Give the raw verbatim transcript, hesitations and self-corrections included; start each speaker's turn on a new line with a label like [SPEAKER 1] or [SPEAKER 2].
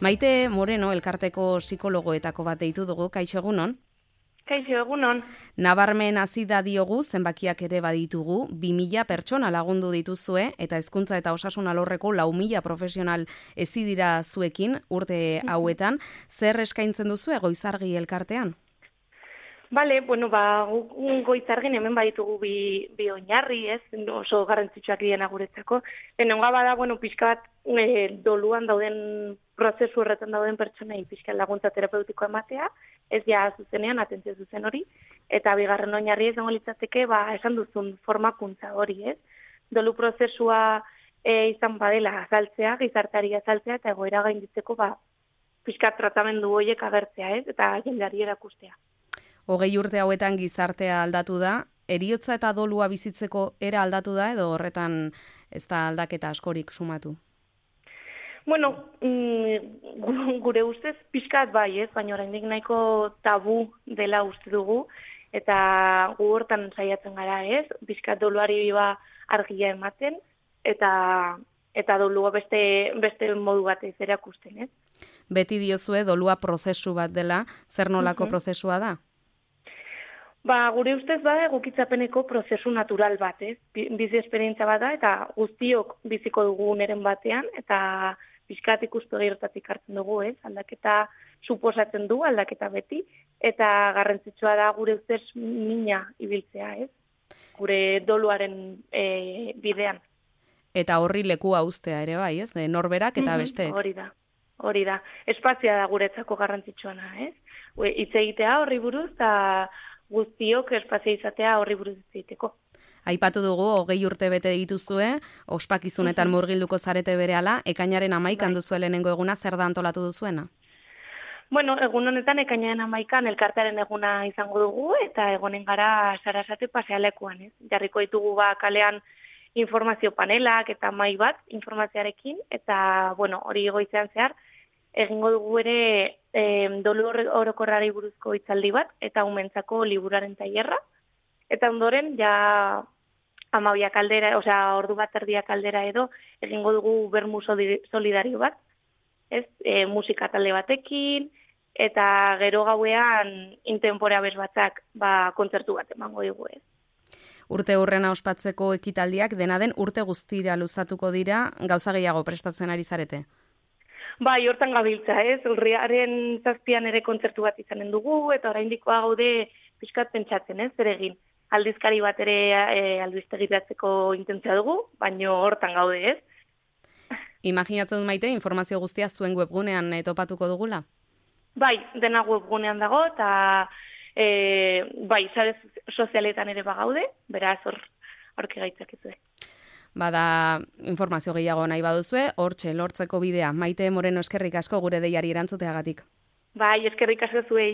[SPEAKER 1] Maite Moreno, elkarteko psikologoetako bat deitu dugu, kaixo egunon?
[SPEAKER 2] Kaixo egunon.
[SPEAKER 1] Nabarmen hasi da diogu, zenbakiak ere baditugu, bi mila pertsona lagundu dituzue, eta hezkuntza eta osasun alorreko lau mila profesional hezi dira zuekin urte hauetan. Zer eskaintzen duzu Goizargi elkartean?
[SPEAKER 2] Bale, bueno, ba, Goizargin hemen baditugu bi, bi oinarri, ez, oso garrantzitsuak diena guretzako. Enonga bada, bueno, pixka bat e, doluan dauden, prozesu horretan dauden pertsonei pixka laguntza terapeutiko ematea, ez ja zuzenean, atentzio zuzen hori, eta bigarren oinarri ez dago litzateke, ba, esan duzun formakuntza hori, ez. Dolu prozesua e, izan badela azaltzea, gizarteari azaltzea, eta egoera gainditzeko, ba, pixka tratamendu horiek agertzea, ez, eta jendeari erakustea.
[SPEAKER 1] Hogei urte hauetan gizartea aldatu da, heriotza eta dolua bizitzeko era aldatu da, edo horretan ez da aldaketa askorik sumatu?
[SPEAKER 2] Bueno, mm, gure ustez pixkat bai, ez, baina oraindik nahiko tabu dela uste dugu, eta gu hortan saiatzen gara, ez, pixkat doluari ba argia ematen, eta eta dolua beste, beste modu batez erakusten, ez.
[SPEAKER 1] Beti diozue dolua prozesu bat dela, zer nolako uh-huh. prozesua da?
[SPEAKER 2] Ba, gure ustez bada egokitzapeneko prozesu natural bat, ez? Bizi esperientzia bat da, eta guztiok biziko dugu neren batean, eta pixkat ikuspegi horretatik hartzen dugu, ez? Aldaketa suposatzen du, aldaketa beti, eta garrantzitsua da gure ustez mina ibiltzea, ez? Gure doluaren e, bidean.
[SPEAKER 1] Eta horri lekua uztea ere bai, ez? Norberak eta besteek.
[SPEAKER 2] Hori da, hori da. Espazia da guretzako garrantzitsuana, ez? Hitz egitea horri buruz, eta guztiok espazio izatea horri buruz egiteko.
[SPEAKER 1] Aipatu dugu, hogei urte bete dituzue, ospakizunetan murgilduko zarete berehala, ekainaren hamaikan duzu lehenengo eguna, zer da antolatu duzuena?
[SPEAKER 2] Bueno, egun honetan ekainaren hamaikan elkartearen eguna izango dugu, eta egonen gara Sarasate pasealekuan, ez? Jarriko ditugu ba kalean informazio panelak eta mai bat informazioarekin, eta bueno, hori goizean zehar, egingo dugu ere e, dolu orokorrari buruzko hitzaldi bat, eta umentzako liburaren tailerra, eta ondoren ja amabiak aldera, osea ordu bat erdiak aldera edo, egingo dugu bermu solidario bat, ez, e, musika talde batekin, eta gero gauean intemporea bez batzak ba, kontzertu bat emango dugu, ez.
[SPEAKER 1] Urte hurrena ospatzeko ekitaldiak dena den urte guztira luzatuko dira, gauza gehiago prestatzen ari zarete?
[SPEAKER 2] Bai, hortan gabiltza, ez? Urriaren zazpian ere kontzertu bat izanen dugu, eta oraindikoa gaude pixkat pentsatzen, ez? Zer egin, aldizkari bat ere e, albistegiratzeko intentzia dugu, baino hortan gaude, ez?
[SPEAKER 1] Imaginatzen dut Maite, informazio guztia zuen webgunean e, topatuko dugula?
[SPEAKER 2] Bai, dena webgunean dago, eta e, bai, sare sozialetan ere bagaude, beraz hor aurki gaitzakizue.
[SPEAKER 1] Bada informazio gehiago nahi baduzue, hortxe lortzeko bidea. Maite Moreno, eskerrik asko gure deiari erantzuteagatik.
[SPEAKER 2] Bai, eskerrik asko zuei.